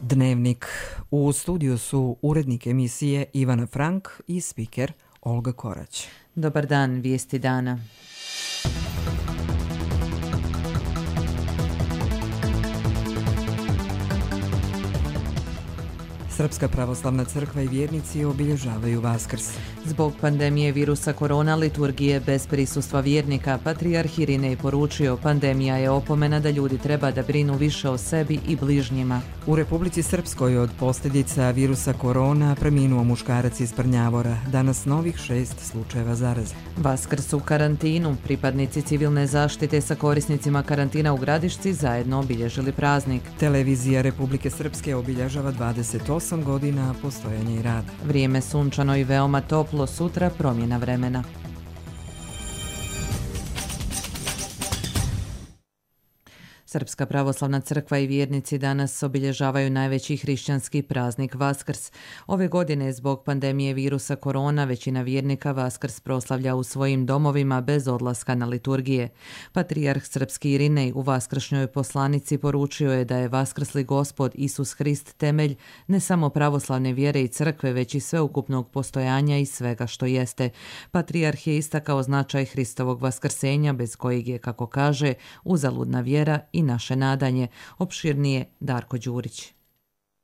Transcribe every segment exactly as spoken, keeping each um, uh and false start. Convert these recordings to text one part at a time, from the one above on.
Dnevnik. U studiju su urednik emisije Ivana Frank i spiker Olga Korać. Dobar dan, vijesti dana. Srpska pravoslavna crkva i vjernici obilježavaju Vaskrs. Zbog pandemije virusa korona liturgije bez prisustva vjernika, patrijarh Irinej poručio: pandemija je opomena da ljudi treba da brinu više o sebi i bližnjima. U Republici Srpskoj od posljedica virusa korona preminuo muškarac iz Prnjavora. Danas novih šest slučajeva zaraze. Vaskrs u karantinu. Pripadnici civilne zaštite sa korisnicima karantina u Gradišci zajedno obilježili praznik. Televizija Republike Srpske obilježava dvadeset osam godina postojanja i rada. Vrijeme sunčano i veoma toplo, sutra promjena vremena. Srpska pravoslavna crkva i vjernici danas obilježavaju najveći hrišćanski praznik Vaskrs. Ove godine zbog pandemije virusa korona većina vjernika Vaskrs proslavlja u svojim domovima bez odlaska na liturgije. Patrijarh srpski Irinej u vaskršnjoj poslanici poručio je da je vaskrsli Gospod Isus Hrist temelj ne samo pravoslavne vjere i crkve, već i sveukupnog postojanja i svega što jeste. Patrijarh je istakao značaj Hristovog vaskrsenja bez kojeg je, kako kaže, uzaludna vjera i naše nadanje. Opširnije Darko Đurić.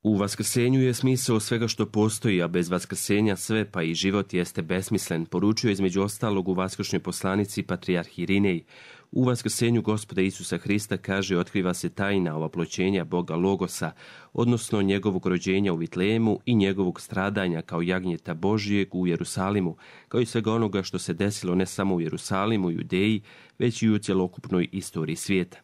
U vaskrsenju je smisao svega što postoji, a bez vaskrsenja sve, pa i život, jeste besmislen, poručio između ostalog u vaskršnjoj poslanici patrijarh Irinej. U vaskrsenju Gospoda Isusa Hrista, kaže, otkriva se tajna ovaploćenja Boga Logosa, odnosno njegovog rođenja u Vitlejemu i njegovog stradanja kao jagnjeta Božijeg u Jerusalimu, kao i svega onoga što se desilo ne samo u Jerusalimu i Judeji, već i u cjelokupnoj istoriji svijeta.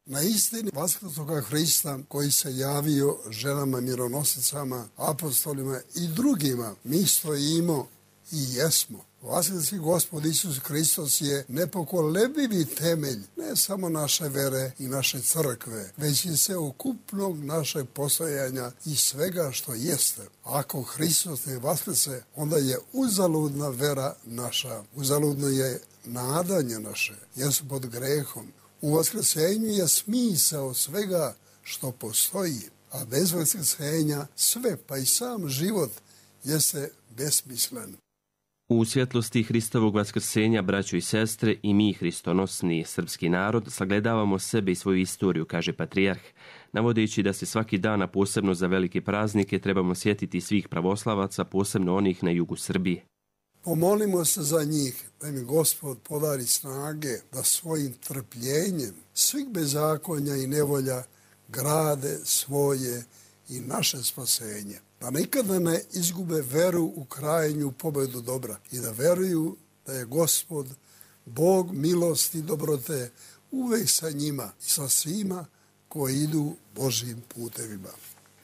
Na istini vaskrsloga Hrista koji se javio ženama mironosicama, apostolima i drugima, mi stojimo i jesmo. Vaskrsli Gospod Isus Hristos je nepokolebljivi temelj ne samo naše vere i naše crkve, već i sveukupnog našeg postojanja i svega što jeste. Ako Hristos ne vaskrse, onda je uzaludna vera naša, uzaludno je nadanje naše, jer su pod grehom. U vaskrsenju je smisao svega što postoji, a bez vaskrsenja sve, pa i sam život, jeste besmislen. U svjetlosti Hristovog vaskrsenja, braćo i sestre, i mi, hristonosni srpski narod, sagledavamo sebe i svoju istoriju, kaže patrijarh, navodeći da se svaki dan, a posebno za velike praznike, trebamo sjetiti svih pravoslavaca, posebno onih na jugu Srbije. Pomolimo se za njih, da mi Gospod podari snage da svojim trpljenjem svih bezakonja i nevolja grade svoje i naše spasenje. Da nikada ne izgube veru u krajnju pobedu dobra i da veruju da je Gospod, Bog milosti i dobrote, uvek sa njima i sa svima koji idu Božjim putevima.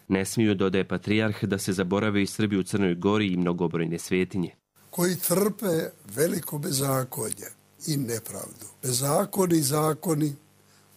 Ne smiju, dodaje patrijarh, da se zaborave i Srbi u Crnoj Gori i mnogobrojne svetinje, koji trpe veliko bezakonje i nepravdu. Bezakoni i zakoni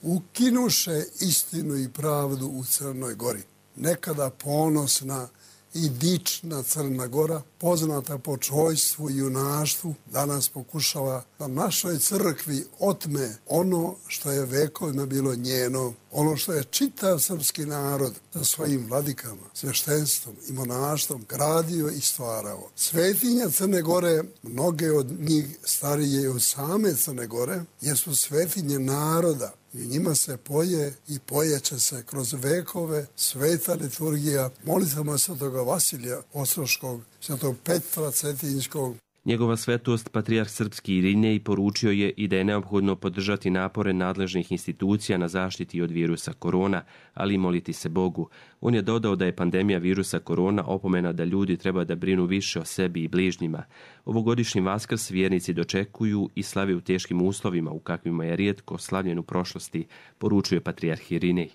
ukinuše istinu i pravdu u Crnoj Gori. Nekada ponosna i dična Crna Gora, poznata po čojstvu i junaštvu, danas pokušava da našoj crkvi otme ono što je vekovima bilo njeno, ono što je čitav srpski narod sa svojim vladikama, sveštenstvom i monaštvom gradio i stvarao. Svetinja Crne Gore, mnoge od njih starije od same Crne Gore, jer su svetinje naroda i njima se poje i pojeće se kroz vekove sveta liturgija molitvama svetoga Vasilija Ostroškog, svetog Petra Cetinjskog. Njegova svetost, patrijarh srpski Irinej, poručio je i da je neophodno podržati napore nadležnih institucija na zaštiti od virusa korona, ali i moliti se Bogu. On je dodao da je pandemija virusa korona opomena da ljudi treba da brinu više o sebi i bližnjima. Ovogodišnji Vaskrs vjernici dočekuju i slave u teškim uslovima u kakvima je rijetko slavljen u prošlosti, poručuje patrijarh Irinej.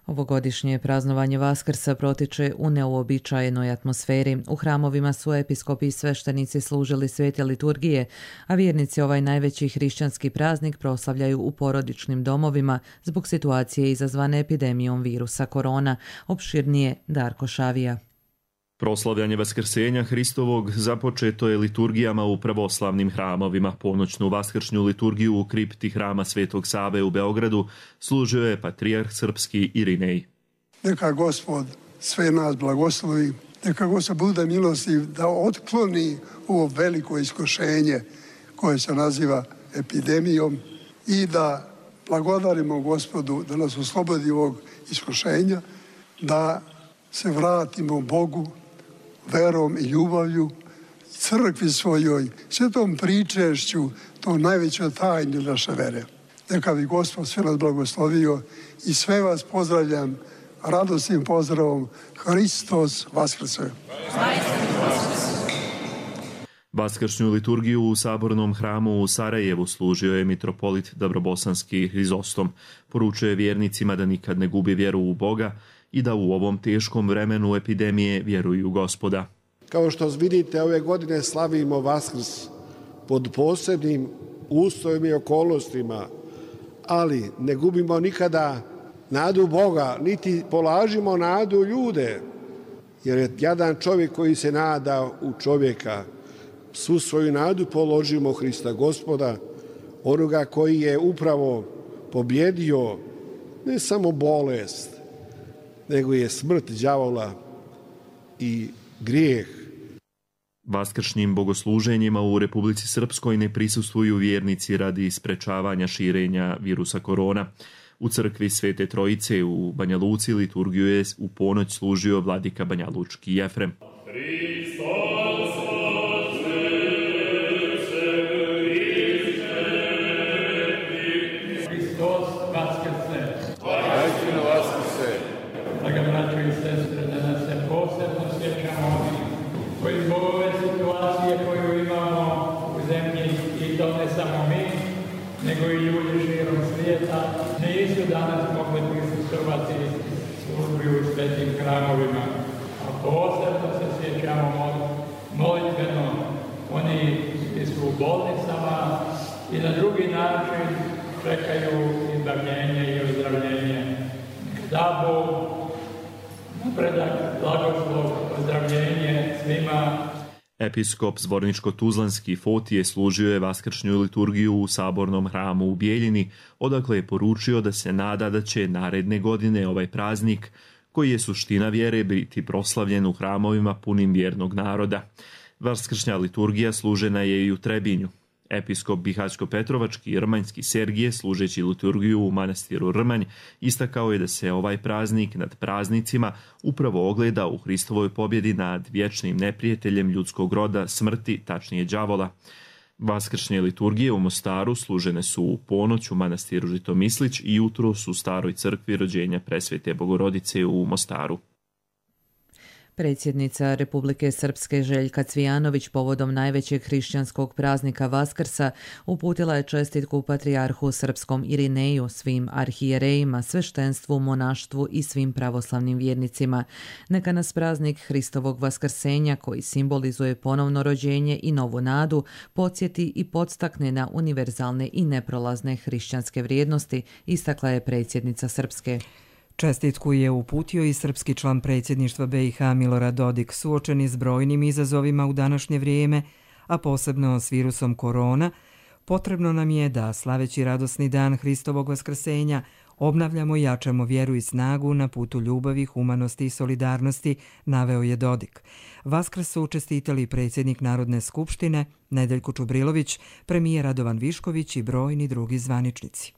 Ovogodišnje praznovanje Vaskrsa protiče u neuobičajenoj atmosferi. U hramovima su episkopi i sveštenici služili svete liturgije, a vjernici ovaj najveći hrišćanski praznik proslavljaju u porodičnim domovima zbog situacije izazvane epidemijom virusa korona. Opširnije Darko Šavija. Proslavljanje Vaskrsenja Hristovog započeto je liturgijama u pravoslavnim hramovima. Ponoćnu vaskršnju liturgiju u kripti hrama Svetog Save u Beogradu služio je patrijarh srpski Irinej. Neka Gospod sve nas blagoslovi, neka Gospod bude milostiv da otkloni ovo veliko iskušenje koje se naziva epidemijom i da blagodarimo Gospodu da nas oslobodi ovog iskušenja, da se vratimo Bogu verom i ljubavlju, crkvi svojoj, svetom pričešću, to najveća tajna naše vere. Neka bi Gospod sve nas blagoslovio i sve vas pozdravljam radosnim pozdravom. Hristos Vaskrse! Vaskršnju liturgiju u Sabornom hramu u Sarajevu služio je mitropolit Dabrobosanski Hrizostom. Poručuje vjernicima da nikad ne gubi vjeru u Boga i da u ovom teškom vremenu epidemije vjeruju Gospoda. Kao što vidite, ove godine slavimo Vaskrs pod posebnim uslovima i okolnostima, ali ne gubimo nikada nadu Boga, niti polažimo nadu u ljude, jer je jadan čovjek koji se nada u čovjeka. Svu svoju nadu položimo Hrista Gospoda, onoga koji je upravo pobjedio ne samo bolest, nego je smrt đavola i grijeh. Vaskršnjim bogosluženjima u Republici Srpskoj ne prisustvuju vjernici radi sprečavanja širenja virusa korona. U crkvi Svete Trojice u Banja Luci liturgiju je u ponoć služio vladika banjalučki Jefrem. nego i ljudi širom svijeta nisu danas mogli prisustvovati službi u svetim hramovima. A posebno se sjećamo molitveno oni koji su u bolnicama i na drugi način čekaju izbavljenje i ozdravljenje. Da Bog napredak, blagoslov, ozdravljenje svima. Episkop Zvorničko-Tuzlanski Fotije služio je vaskršnju liturgiju u Sabornom hramu u Bijeljini, odakle je poručio da se nada da će naredne godine ovaj praznik, koji je suština vjere, biti proslavljen u hramovima punim vjernog naroda. Vaskršnja liturgija služena je i u Trebinju. Episkop Bihaćko-Petrovački i Rmanjski Sergije, služeći liturgiju u manastiru Rmanj, istakao je da se ovaj praznik nad praznicima upravo ogleda u Hristovoj pobjedi nad vječnim neprijateljem ljudskog roda, smrti, tačnije đavola. Vaskršnje liturgije u Mostaru služene su u ponoć u manastiru Žitomislić i jutros u staroj crkvi rođenja Presvete Bogorodice u Mostaru. Predsjednica Republike Srpske Željka Cvijanović povodom najvećeg hrišćanskog praznika Vaskrsa uputila je čestitku patrijarhu srpskom Irineju, svim arhijerejima, sveštenstvu, monaštvu i svim pravoslavnim vjernicima. Neka nas praznik Hristovog vaskrsenja, koji simbolizuje ponovno rođenje i novu nadu, podsjeti i podstakne na univerzalne i neprolazne hrišćanske vrijednosti, istakla je predsjednica Srpske. Čestitku je uputio i srpski član predsjedništva B i H Milorad Dodik, suočeni s brojnim izazovima u današnje vrijeme, a posebno s virusom korona. Potrebno nam je da, slaveći radosni dan Hristovog vaskrsenja, obnavljamo i jačamo vjeru i snagu na putu ljubavi, humanosti i solidarnosti, naveo je Dodik. Vaskrs su čestitali predsjednik Narodne skupštine Nedeljko Čubrilović, premijer Radovan Višković i brojni drugi zvaničnici.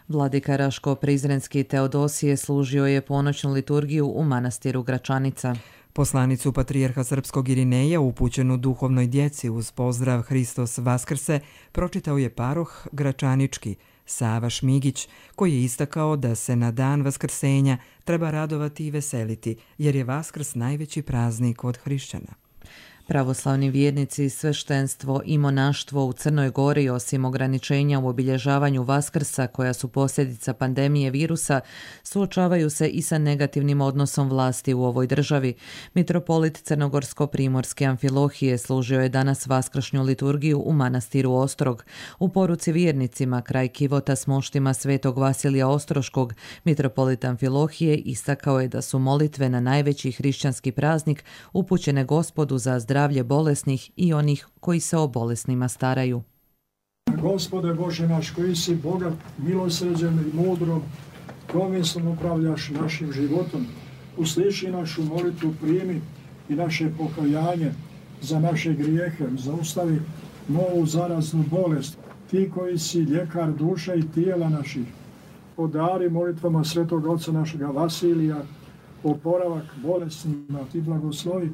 Vladika Raško-Prizrenski Teodosije služio je ponoćnu liturgiju u manastiru Gračanica. Poslanicu patrijarha srpskog Irineja, upućenu duhovnoj djeci uz pozdrav Hristos Vaskrse, pročitao je paroh Gračanički Sava Šmigić, koji je istakao da se na dan vaskrsenja treba radovati i veseliti, jer je Vaskrs najveći praznik od hrišćana. Pravoslavni vjernici, sveštenstvo i monaštvo u Crnoj Gori, osim ograničenja u obilježavanju Vaskrsa koja su posljedica pandemije virusa, suočavaju se i sa negativnim odnosom vlasti u ovoj državi. Mitropolit Crnogorsko-Primorske Amfilohije služio je danas vaskršnju liturgiju u manastiru Ostrog. U poruci vjernicima kraj kivota s moštima svetog Vasilija Ostroškog, mitropolit Amfilohije istakao je da su molitve na najveći hrišćanski praznik upućene Gospodu za zdravlje bolesnih i onih koji se o bolesnima staraju. Gospode Bože naš, koji si bogat milosrđem i mudrom, promislom upravljaš našim životom, usliši našu molitvu, primi i naše pokajanje za naše grijehe, zaustavi novu zaraznu bolest. Ti koji si ljekar duše i tijela naših, podari molitvama svetog oca našega Vasilija oporavak bolesnima, ti blagoslovi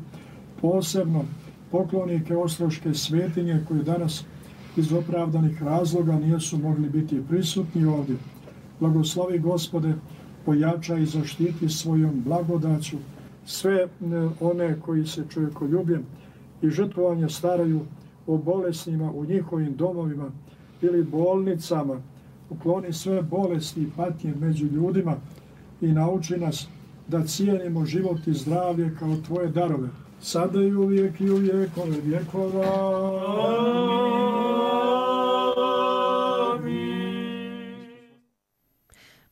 posebno poklonike Ostroške svetinje koji danas iz opravdanih razloga nisu mogli biti prisutni ovdje. Blagoslovi Gospode, pojača i zaštiti svojom blagodaću sve one koji se čovjekoljubljem i žrtvovanje staraju o bolesnima u njihovim domovima ili bolnicama. Ukloni sve bolesti i patnje među ljudima i nauči nas da cijenimo život i zdravlje kao tvoje darove. Sada i uvijek i u vjekove vjekova.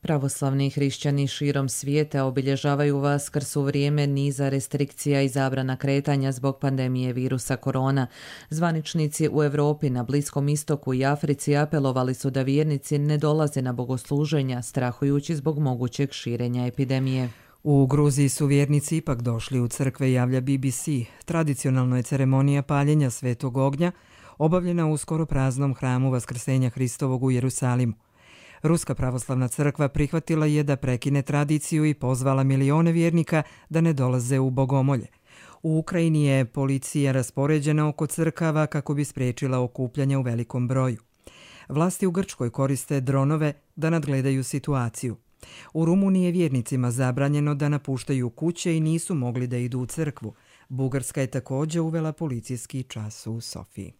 Pravoslavni hrišćani širom svijeta obilježavaju Vaskrs u vrijeme niza restrikcija i zabrana kretanja zbog pandemije virusa korona. Zvaničnici u Europi, na Bliskom istoku i Africi apelovali su da vjernici ne dolaze na bogosluženja, strahujući zbog mogućeg širenja epidemije. U Gruziji su vjernici ipak došli u crkve, javlja B B C. Tradicionalno je ceremonija paljenja svetog ognja obavljena u skoro praznom hramu Vaskrsenja Hristovog u Jerusalimu. Ruska pravoslavna crkva prihvatila je da prekine tradiciju i pozvala milione vjernika da ne dolaze u bogomolje. U Ukrajini je policija raspoređena oko crkava kako bi spriječila okupljanja u velikom broju. Vlasti u Grčkoj koriste dronove da nadgledaju situaciju. U Rumuniji je vjernicima zabranjeno da napuštaju kuće i nisu mogli da idu u crkvu. Bugarska je također uvela policijski čas u Sofiji.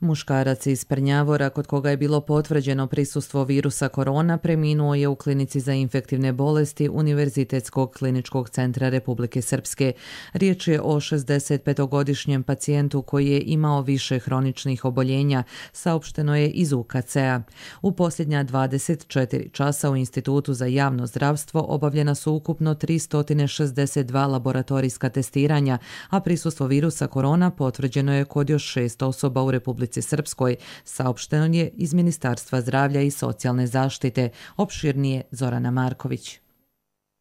Muškarac iz Prnjavora, kod koga je bilo potvrđeno prisustvo virusa korona, preminuo je u klinici za infektivne bolesti Univerzitetskog kliničkog centra Republike Srpske. Riječ je o šezdesetpetogodišnjem pacijentu koji je imao više hroničnih oboljenja, saopšteno je iz U K C-a. U posljednja dvadeset četiri časa u Institutu za javno zdravstvo obavljena su ukupno tristo šezdeset dva laboratorijska testiranja, a prisustvo virusa korona potvrđeno je kod još šest osoba u Republici Srpskoj, saopšteno je iz Ministarstva zdravlja i socijalne zaštite. Opširnije Zorana Marković.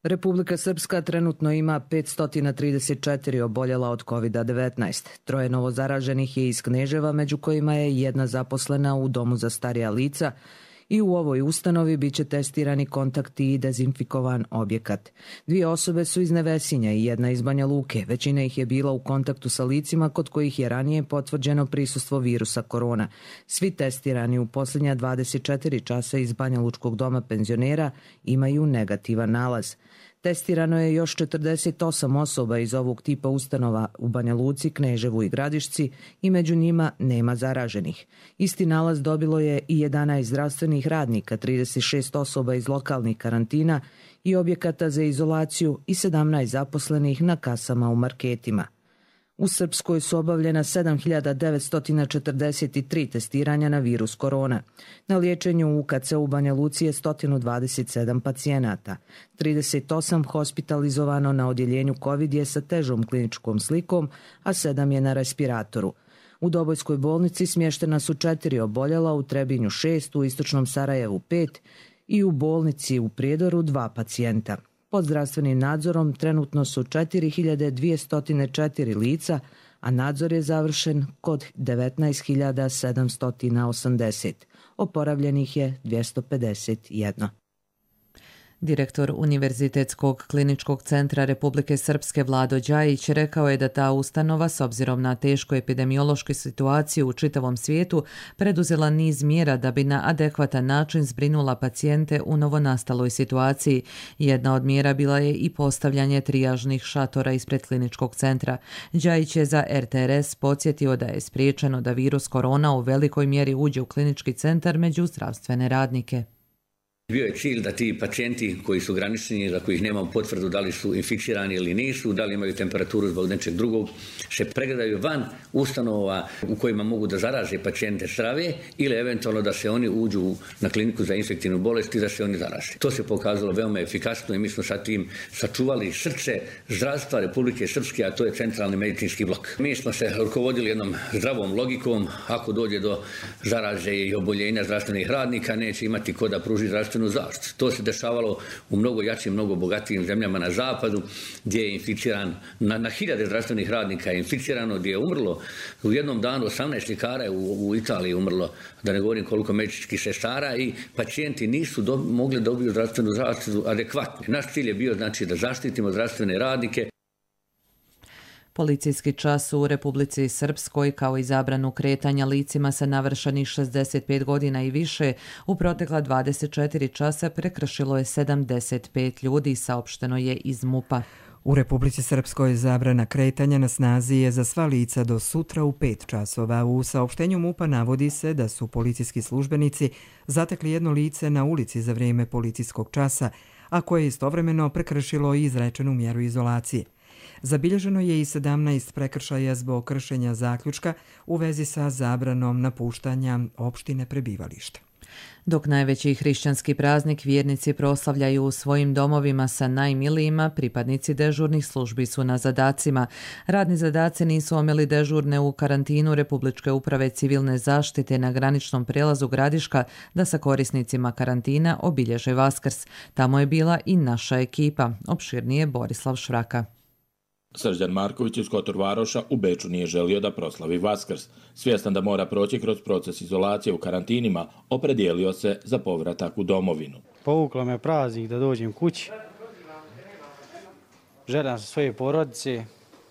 Republika Srpska trenutno ima petsto trideset četiri oboljela od kovid devetnaest. Troje novozaraženih je iz Kneževa, među kojima je jedna zaposlena u domu za starija lica, i u ovoj ustanovi bit će testirani kontakti i dezinfikovan objekat. Dvije osobe su iz Nevesinja i jedna iz Banja Luke. Većina ih je bila u kontaktu sa licima kod kojih je ranije potvrđeno prisustvo virusa korona. Svi testirani u posljednja dvadeset četiri časa iz Banja Lučkog doma penzionera imaju negativan nalaz. Testirano je još četrdeset osam osoba iz ovog tipa ustanova u Banja Luci, Kneževu i Gradišci i među njima nema zaraženih. Isti nalaz dobilo je i jedanaest zdravstvenih radnika, trideset šest osoba iz lokalnih karantina i objekata za izolaciju i sedamnaest zaposlenih na kasama u marketima. U Srpskoj su obavljena sedam hiljada devetsto četrdeset tri testiranja na virus korona. Na liječenju u U K C u Banja Luci je sto dvadeset sedam pacijenata. trideset osam hospitalizovano na odjeljenju COVID je sa težom kliničkom slikom, a sedam je na respiratoru. U Dobojskoj bolnici smještena su četiri oboljela, u Trebinju šest, u Istočnom Sarajevu pet i u bolnici u Prijedoru dva pacijenta. Pod zdravstvenim nadzorom trenutno su četiri hiljade dvjesto četiri lica, a nadzor je završen kod devetnaest hiljada sedamsto osamdeset. Oporavljenih je dvjesto pedeset jedan. Direktor Univerzitetskog kliničkog centra Republike Srpske Vlado Đajić rekao je da ta ustanova, s obzirom na tešku epidemiološku situaciju u čitavom svijetu, preduzela niz mjera da bi na adekvatan način zbrinula pacijente u novonastaloj situaciji. Jedna od mjera bila je i postavljanje trijažnih šatora ispred kliničkog centra. Đajić je za R T R S podsjetio da je spriječeno da virus korona u velikoj mjeri uđe u klinički centar među zdravstvene radnike. Bio je cilj da ti pacijenti koji su granični, za kojih nemamo potvrdu da li su inficirani ili nisu, da li imaju temperaturu zbog nečeg drugog, se pregledaju van ustanova u kojima mogu da zaraze pacijente zdrave ili eventualno da se oni uđu na kliniku za infektivnu bolest i da se oni zaraze. To se pokazalo veoma efikasno i mi smo sa tim sačuvali srce zdravstva Republike Srpske, a to je centralni medicinski blok. Mi smo se rukovodili jednom zdravom logikom, ako dođe do zaraze i oboljenja zdravstvenih radnika, neće imati ko da pruži zdravstvenu zaštitu. To se dešavalo u mnogo jačim, mnogo bogatijim zemljama na zapadu, gdje je inficiran, na, na hiljade zdravstvenih radnika je inficirano, gdje je umrlo u jednom danu osamnaest ljekara je u, u Italiji umrlo, da ne govorim koliko medicinskih sestara, i pacijenti nisu do, mogli dobiti zdravstvenu zaštitu adekvatno. Naš cilj je bio znači da zaštitimo zdravstvene radnike. Policijski čas u Republici Srpskoj, kao i zabranu kretanja licima sa navršenih šezdeset pet godina i više, u protekla dvadeset četiri časa prekršilo je sedamdeset pet ljudi, saopšteno je iz MUP-a. U Republici Srpskoj zabrana kretanja na snazi je za sva lica do sutra u pet časova. U saopštenju MUP-a navodi se da su policijski službenici zatekli jedno lice na ulici za vrijeme policijskog časa, a koje je istovremeno prekršilo i izrečenu mjeru izolacije. Zabilježeno je i sedamnaest prekršaja zbog kršenja zaključka u vezi sa zabranom napuštanja opštine prebivališta. Dok najveći hrišćanski praznik vjernici proslavljaju u svojim domovima sa najmilijima, pripadnici dežurnih službi su na zadacima. Radni zadaci nisu omeli dežurne u karantinu Republičke uprave civilne zaštite na graničnom prelazu Gradiška da sa korisnicima karantina obilježe Vaskrs. Tamo je bila i naša ekipa, opširnije Borislav Švraka. Srđan Marković iz Kotor Varoša u Beču nije želio da proslavi Vaskrs. Svjestan da mora proći kroz proces izolacije u karantinima, opredijelio se za povratak u domovinu. Povuklo me praznik da dođem kući. Želim sa svoje porodice.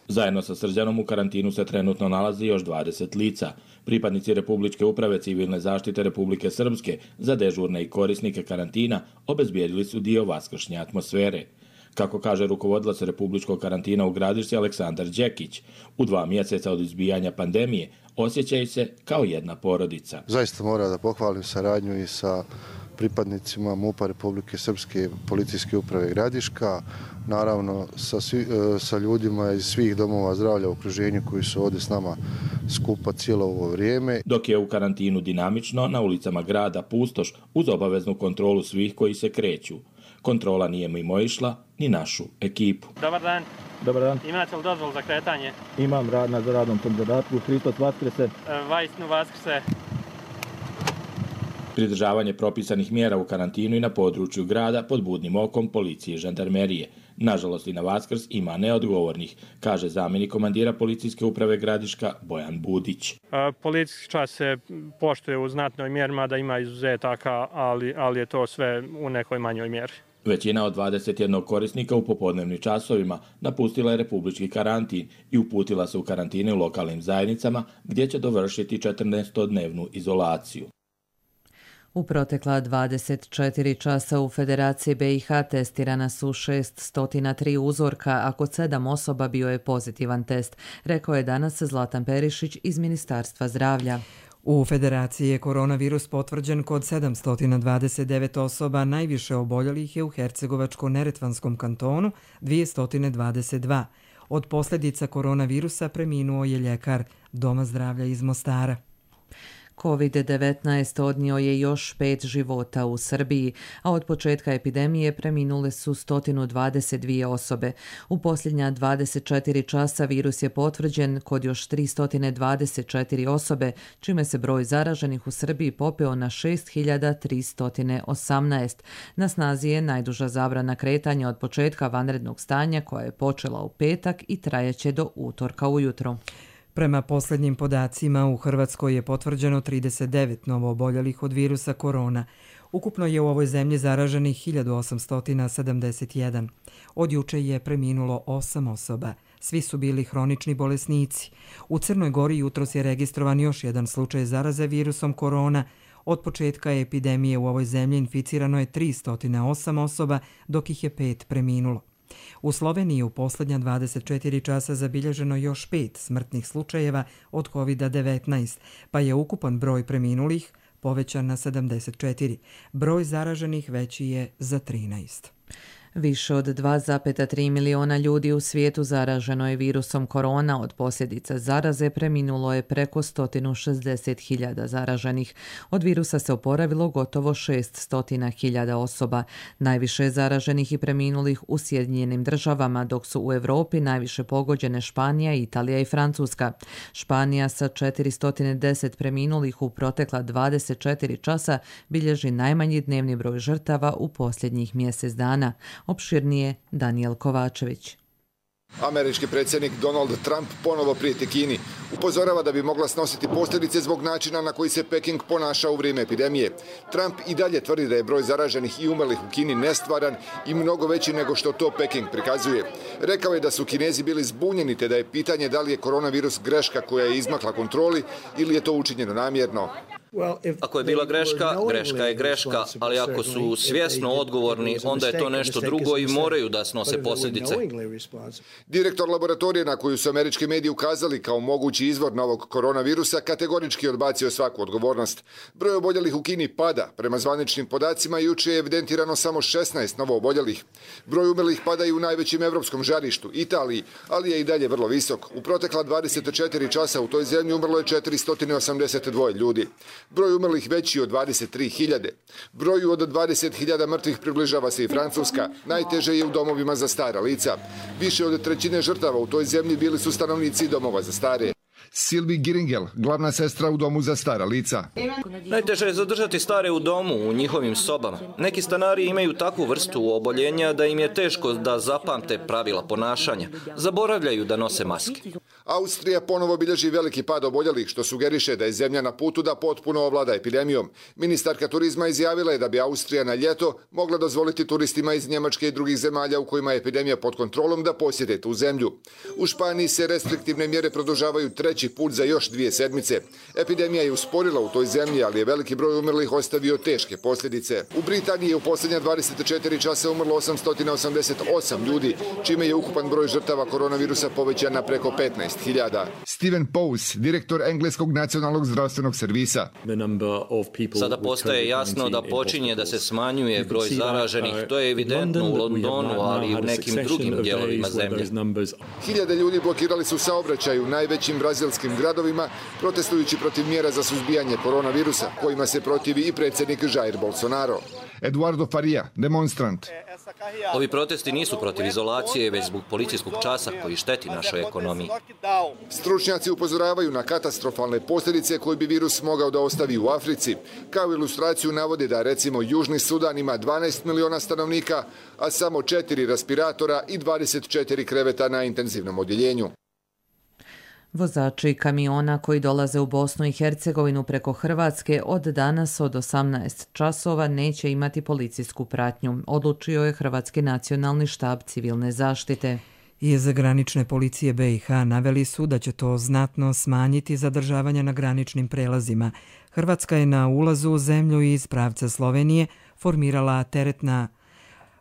Zajedno sa Srđanom u karantinu se trenutno nalazi još dvadeset lica. Pripadnici Republičke uprave civilne zaštite Republike Srpske za dežurne i korisnike karantina obezbijedili su dio vaskršnje atmosfere. Kako kaže rukovodilac Republičkog karantina u Gradišci Aleksandar Đekić, u dva mjeseca od izbijanja pandemije osjećaju se kao jedna porodica. Zaista mora da pohvalim saradnju i sa pripadnicima MUP-a Republike Srpske policijske uprave Gradiška, naravno sa, svi, sa ljudima iz svih domova zdravlja u okruženju koji su ovdje s nama skupa cijelo ovo vrijeme. Dok je u karantinu dinamično, na ulicama grada pustoš uz obaveznu kontrolu svih koji se kreću. Kontrola nije mimo išla ni našu ekipu. Dobar dan. Dobar dan. Imate li dozvol za kretanje? Imam rad na radnom tom zadatku. Hristos Vaskrse. Vajsnu Vaskrse. Pridržavanje propisanih mjera u karantinu i na području grada pod budnim okom policije i žandarmerije. Nažalost i na Vaskrs ima neodgovornih, kaže zamjenik komandira policijske uprave Gradiška Bojan Budić. Policijski čas se poštuje u znatnoj mjeri, mada ima izuzetaka, ali, ali je to sve u nekoj manjoj mjeri. Većina od dvadeset jednog korisnika u popodnevnim časovima napustila je republički karantin i uputila se u karantine u lokalnim zajednicama gdje će dovršiti četrnaestodnevnu izolaciju. U protekla dvadeset četiri časa u Federaciji B i H testirana su šeststo tri uzorka, a kod sedam osoba bio je pozitivan test, rekao je danas Zlatan Perišić iz Ministarstva zdravlja. U Federaciji je koronavirus potvrđen kod sedamsto dvadeset devet osoba, najviše oboljelih je u Hercegovačko-Neretvanskom kantonu dvjesto dvadeset dva. Od posljedica koronavirusa preminuo je ljekar Doma zdravlja iz Mostara. kovid devetnaest odnio je još pet života u Srbiji, a od početka epidemije preminule su sto dvadeset dvije osobe. U posljednja dvadeset četiri časa virus je potvrđen kod još tristo dvadeset četiri osobe, čime se broj zaraženih u Srbiji popeo na šest hiljada tristo osamnaest. Na snazi je najduža zabrana kretanja od početka vanrednog stanja koja je počela u petak i trajeće do utorka ujutro. Prema posljednjim podacima, u Hrvatskoj je potvrđeno trideset devet novooboljelih od virusa korona. Ukupno je u ovoj zemlji zaraženih hiljadu osamsto sedamdeset jedan. Od juče je preminulo osam osoba. Svi su bili hronični bolesnici. U Crnoj Gori jutros je registrovan još jedan slučaj zaraze virusom korona. Od početka epidemije u ovoj zemlji inficirano je tristo osam osoba, dok ih je pet preminulo. U Sloveniji u posljednja dvadeset četiri časa zabilježeno još pet smrtnih slučajeva od kovid devetnaest, pa je ukupan broj preminulih povećan na sedamdeset četiri. Broj zaraženih veći je za trinaest. Više od dva zarez tri miliona ljudi u svijetu zaraženo je virusom korona. Od posljedica zaraze preminulo je preko sto šezdeset hiljada zaraženih. Od virusa se oporavilo gotovo šesto hiljada osoba. Najviše je zaraženih i preminulih u Sjedinjenim državama, dok su u Europi najviše pogođene Španija, Italija i Francuska. Španija sa četiristo deset preminulih u protekla dvadeset četiri časa bilježi najmanji dnevni broj žrtava u posljednjih mjesec dana. Opširnije Daniel Kovačević. Američki predsjednik Donald Trump ponovo prijeti Kini. Upozorava da bi mogla snositi posljedice zbog načina na koji se Peking ponaša u vrijeme epidemije. Trump i dalje tvrdi da je broj zaraženih i umrlih u Kini nestvaran i mnogo veći nego što to Peking prikazuje. Rekao je da su Kinezi bili zbunjeni te da je pitanje da li je koronavirus greška koja je izmakla kontroli ili je to učinjeno namjerno. Ako je bila greška, greška je greška, ali ako su svjesno odgovorni, onda je to nešto drugo i moraju da snose posljedice. Direktor laboratorije na koju su američki mediji ukazali kao mogući izvor novog koronavirusa kategorički odbacio svaku odgovornost. Broj oboljelih u Kini pada. Prema zvaničnim podacima jučer je evidentirano samo šesnaest novo oboljelih. Broj umrlih pada i u najvećem evropskom žarištu, Italiji, ali je i dalje vrlo visok. U protekla dvadeset četiri časa u toj zemlji umrlo je četiristo osamdeset dva ljudi. Broj umrlih veći od dvadeset tri hiljade. Broju od dvadeset hiljada mrtvih približava se i Francuska. Najteže je u domovima za stara lica. Više od trećine žrtava u toj zemlji bili su stanovnici domova za stare. Sylvie Giringel, glavna sestra u domu za stara lica. Najteže je zadržati stare u domu, u njihovim sobama. Neki stanari imaju takvu vrstu oboljenja da im je teško da zapamte pravila ponašanja. Zaboravljaju da nose maske. Austrija ponovo bilježi veliki pad oboljelih, što sugeriše da je zemlja na putu da potpuno ovlada epidemijom. Ministarka turizma izjavila je da bi Austrija na ljeto mogla dozvoliti turistima iz Njemačke i drugih zemalja u kojima je epidemija pod kontrolom da posjete tu zemlju. U Španiji se restriktivne mjere produžavaju treći put za još dvije sedmice. Epidemija je usporila u toj zemlji, ali je veliki broj umrlih ostavio teške posljedice. U Britaniji je u posljednja dvadeset četiri časa umrlo osamsto osamdeset osam ljudi, čime je ukupan broj žrtava koronavirusa povećan na preko petnaest hiljada. Steven Pose, direktor engleskog nacionalnog zdravstvenog servisa. Sada postaje jasno da počinje da se smanjuje broj zaraženih. To je evidentno u Londonu, ali i u nekim drugim dijelovima zemlje. Hiljade ljudi blokirali su saobraćaj u najvećim brazilskim gradovima, protestujući protiv mjera za suzbijanje koronavirusa, kojima se protivi i predsjednik Jair Bolsonaro. Eduardo Faria, demonstrant. Ovi protesti nisu protiv izolacije, već zbog policijskog časa koji šteti našoj ekonomiji. Stručnjaci upozoravaju na katastrofalne posljedice koje bi virus mogao da ostavi u Africi. Kao ilustraciju navode da recimo Južni Sudan ima dvanaest miliona stanovnika, a samo četiri respiratora i dvadeset četiri kreveta na intenzivnom odjeljenju. Vozači kamiona koji dolaze u Bosnu i Hercegovinu preko Hrvatske od danas od osamnaest časova neće imati policijsku pratnju, odlučio je Hrvatski nacionalni štab civilne zaštite. Iz granične policije be i ha naveli su da će to znatno smanjiti zadržavanja na graničnim prelazima. Hrvatska je na ulazu u zemlju iz pravca Slovenije formirala teretna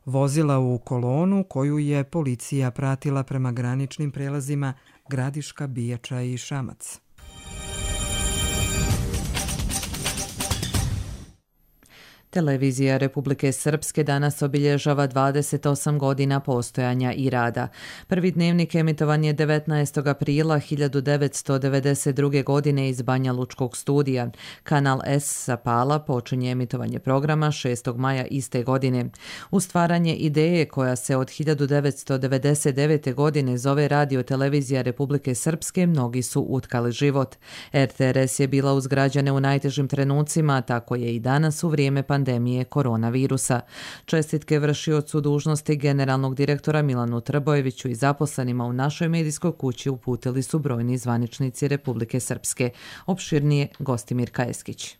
vozila u kolonu koju je policija pratila prema graničnim prelazima Gradiška, Bijača i Šamac. Televizija Republike Srpske danas obilježava dvadeset osam godina postojanja i rada. Prvi dnevnik emitovan je devetnaestog aprila hiljadu devetsto devedeset druge. godine iz Banja Lučkog studija. Kanal S sa Pala počinje emitovanje programa šestog maja iste godine. U stvaranje ideje koja se od hiljadu devetsto devedeset devete. godine zove Radio Televizija Republike Srpske, mnogi su utkali život. er te er es je bila uz građane u najtežim trenucima, tako je i danas u vrijeme pandemije koronavirusa. Čestitke vršiocu dužnosti generalnog direktora Milanu Trbojeviću i zaposlenima u našoj medijskoj kući uputili su brojni zvaničnici Republike Srpske. Opširnije Gostimir Kajeskić.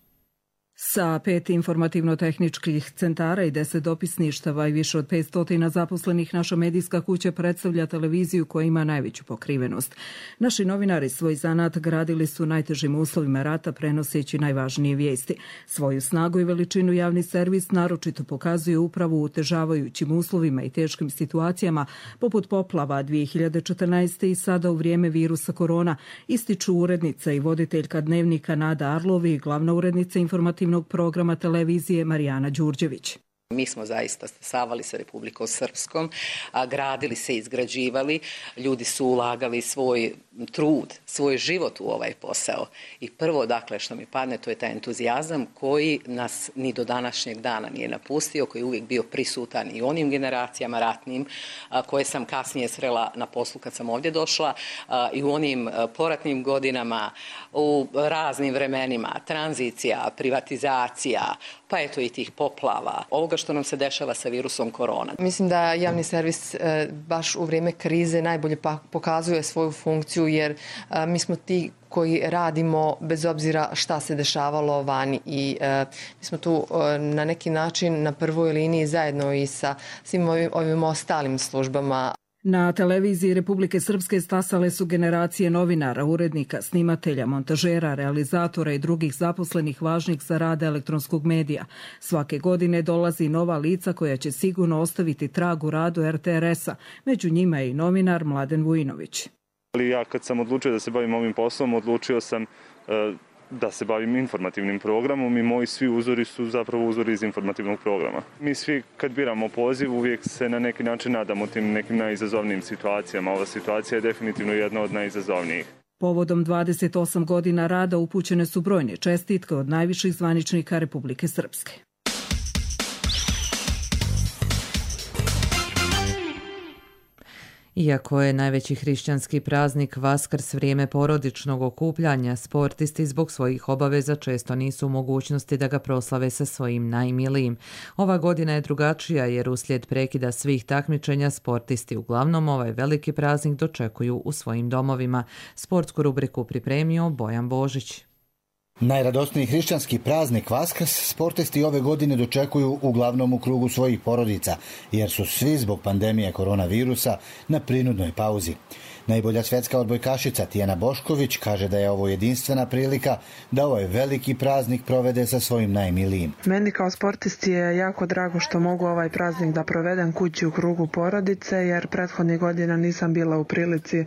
Sa pet informativno-tehničkih centara i deset dopisništava i više od petsto zaposlenih, naša medijska kuća predstavlja televiziju koja ima najveću pokrivenost. Naši novinari svoj zanat gradili su najtežim uslovima rata, prenoseći najvažnije vijesti. Svoju snagu i veličinu javni servis naročito pokazuje upravo u utežavajućim uslovima i teškim situacijama, poput poplava dvije hiljade četrnaeste. i sada u vrijeme virusa korona, ističu urednica i voditeljka dnevnika Nada Arlovi i glavna urednica informativnog informativnog programa televizije Marijana Đurđević. Mi smo zaista stasavali sa Republikom Srpskom, a gradili se, izgrađivali, ljudi su ulagali svoj trud, svoj život u ovaj posao. I prvo, dakle, što mi padne, to je taj entuzijazam koji nas ni do današnjeg dana nije napustio, koji je uvijek bio prisutan i u onim generacijama ratnim koje sam kasnije srela na poslu kad sam ovdje došla i u onim poratnim godinama, u raznim vremenima, tranzicija, privatizacija, pa eto i tih poplava, ovoga što nam se dešava sa virusom korona. Mislim da javni servis baš u vrijeme krize najbolje pokazuje svoju funkciju, jer mi smo ti koji radimo bez obzira šta se dešavalo vani i e, mi smo tu e, na neki način na prvoj liniji zajedno i sa svim ovim, ovim ostalim službama. Na televiziji Republike Srpske stasale su generacije novinara, urednika, snimatelja, montažera, realizatora i drugih zaposlenih važnih za rad elektronskog medija. Svake godine dolazi nova lica koja će sigurno ostaviti trag u radu er te er es-a. Među njima je i novinar Mladen Vujinović. Ali ja kad sam odlučio da se bavim ovim poslom, odlučio sam uh, da se bavim informativnim programom i moji svi uzori su zapravo uzori iz informativnog programa. Mi svi kad biramo poziv uvijek se na neki način nadamo tim nekim najizazovnijim situacijama. Ova situacija je definitivno jedna od najizazovnijih. Povodom dvadeset osam godina rada upućene su brojne čestitke od najviših zvaničnika Republike Srpske. Iako je najveći hrišćanski praznik Vaskrs vrijeme porodičnog okupljanja, sportisti zbog svojih obaveza često nisu u mogućnosti da ga proslave sa svojim najmilijim. Ova godina je drugačija jer uslijed prekida svih takmičenja sportisti uglavnom ovaj veliki praznik dočekuju u svojim domovima. Sportsku rubriku pripremio Bojan Božić. Najradosniji hrišćanski praznik Vaskrs sportisti ove godine dočekuju uglavnom u krugu svojih porodica, jer su svi zbog pandemije koronavirusa na prinudnoj pauzi. Najbolja svjetska odbojkašica Tijana Bošković kaže da je ovo jedinstvena prilika da ovaj veliki praznik provede sa svojim najmilijim. Meni kao sportisti je jako drago što mogu ovaj praznik da provedem kući u krugu porodice, jer prethodnih godina nisam bila u prilici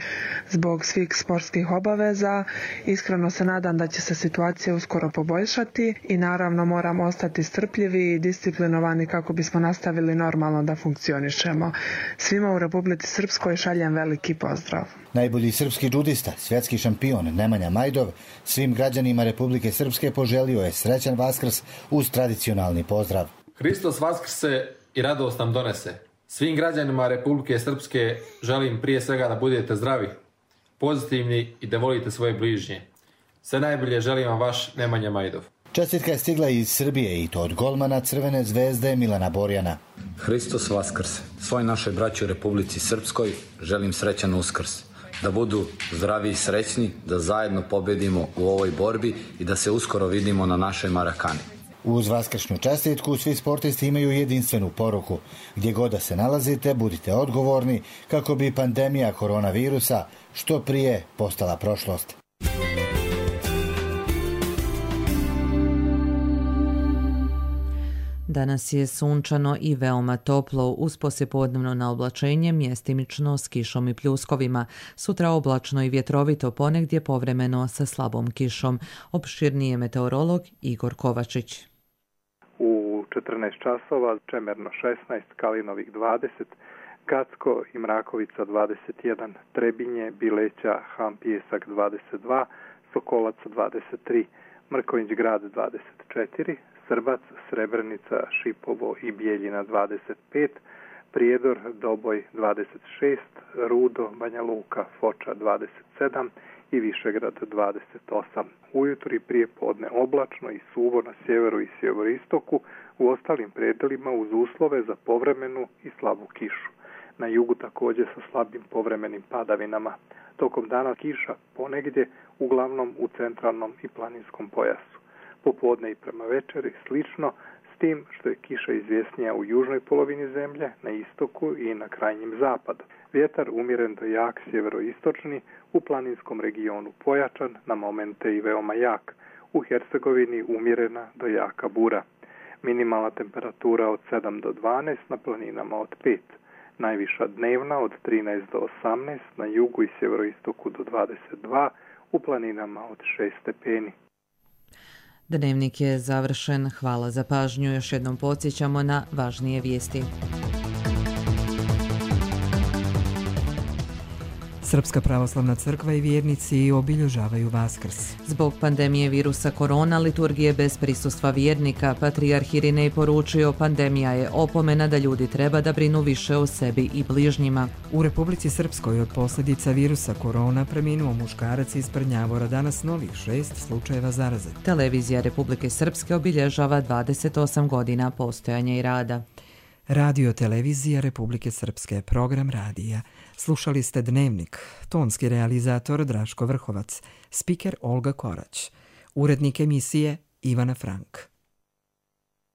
zbog svih sportskih obaveza. Iskreno se nadam da će se situacija uskoro poboljšati i naravno moramo ostati strpljivi i disciplinovani kako bismo nastavili normalno da funkcionišemo. Svima u Republici Srpskoj šaljem veliki pozdrav. Najbolji srpski džudista, svjetski šampion Nemanja Majdov, svim građanima Republike Srpske poželio je srećan Vaskrs uz tradicionalni pozdrav. Hristos vaskrse i radost nam donese. Svim građanima Republike Srpske želim prije svega da budete zdravi, pozitivni i da volite svoje bližnje. Sve najbolje želim vam vaš Nemanja Majdov. Čestitka je stigla iz Srbije i to od golmana Crvene zvezde Milana Borjana. Hristos vaskrse. Svoj našoj braći u Republici Srpskoj želim srećan Uskrs. Da budu zdravi i srećni, da zajedno pobedimo u ovoj borbi i da se uskoro vidimo na našoj Marakani. Uz vaskršnju čestitku svi sportisti imaju jedinstvenu poruku. Gdje god da se nalazite, budite odgovorni kako bi pandemija koronavirusa što prije postala prošlost. Danas je sunčano i veoma toplo, uz poslijepodnevno naoblačenje mjestimično s kišom i pljuskovima. Sutra oblačno i vjetrovito, ponegdje povremeno sa slabom kišom. Opširnije meteorolog Igor Kovačić. U četrnaest časova Čemerno šesnaest, Kalinovik dvadeset, Gacko i Mrakovica dvadeset jedan, Trebinje, Bileća, Ham Pijesak dvadeset dva, Sokolac dvadeset tri, Mrkonjić Grad dvadeset četiri, Srbac, Srebrenica, Šipovo i Bijeljina dvadeset pet, Prijedor, Doboj dvadeset šest, Rudo, Banja Luka, Foča dvadeset sedam i Višegrad dvadeset osam. Ujutro i prije podne oblačno i suvo na sjeveru i sjeveristoku, u ostalim predelima uz uslove za povremenu i slabu kišu. Na jugu također sa slabim povremenim padavinama. Tokom dana kiša ponegdje, uglavnom u centralnom i planinskom pojasu. Popodne i prema večeri slično, s tim što je kiša izvjesnija u južnoj polovini zemlje, na istoku i na krajnjem zapadu. Vjetar umjeren do jak sjeveroistočni, u planinskom regionu pojačan, na momente i veoma jak. U Hercegovini umjerena do jaka bura. Minimalna temperatura od sedam do dvanaest, na planinama od pet. Najviša dnevna od trinaest do osamnaest, na jugu i sjeveroistoku do dvadeset dva, u planinama od šest stepeni. Dnevnik je završen. Hvala za pažnju. Još jednom podsjećamo na važnije vijesti. Srpska pravoslavna crkva i vjernici obilježavaju Vaskrs. Zbog pandemije virusa korona, liturgije bez prisustva vjernika, patrijarh Irinej poručio, pandemija je opomena da ljudi treba da brinu više o sebi i bližnjima. U Republici Srpskoj od posljedica virusa korona preminuo muškarac iz Prnjavora, danas novih šest slučajeva zaraze. Televizija Republike Srpske obilježava dvadeset osam godina postojanja i rada. Radio televizija Republike Srpske, program radija. Slušali ste Dnevnik, tonski realizator Draško Vrhovac, spiker Olga Korać, urednik emisije Ivana Frank.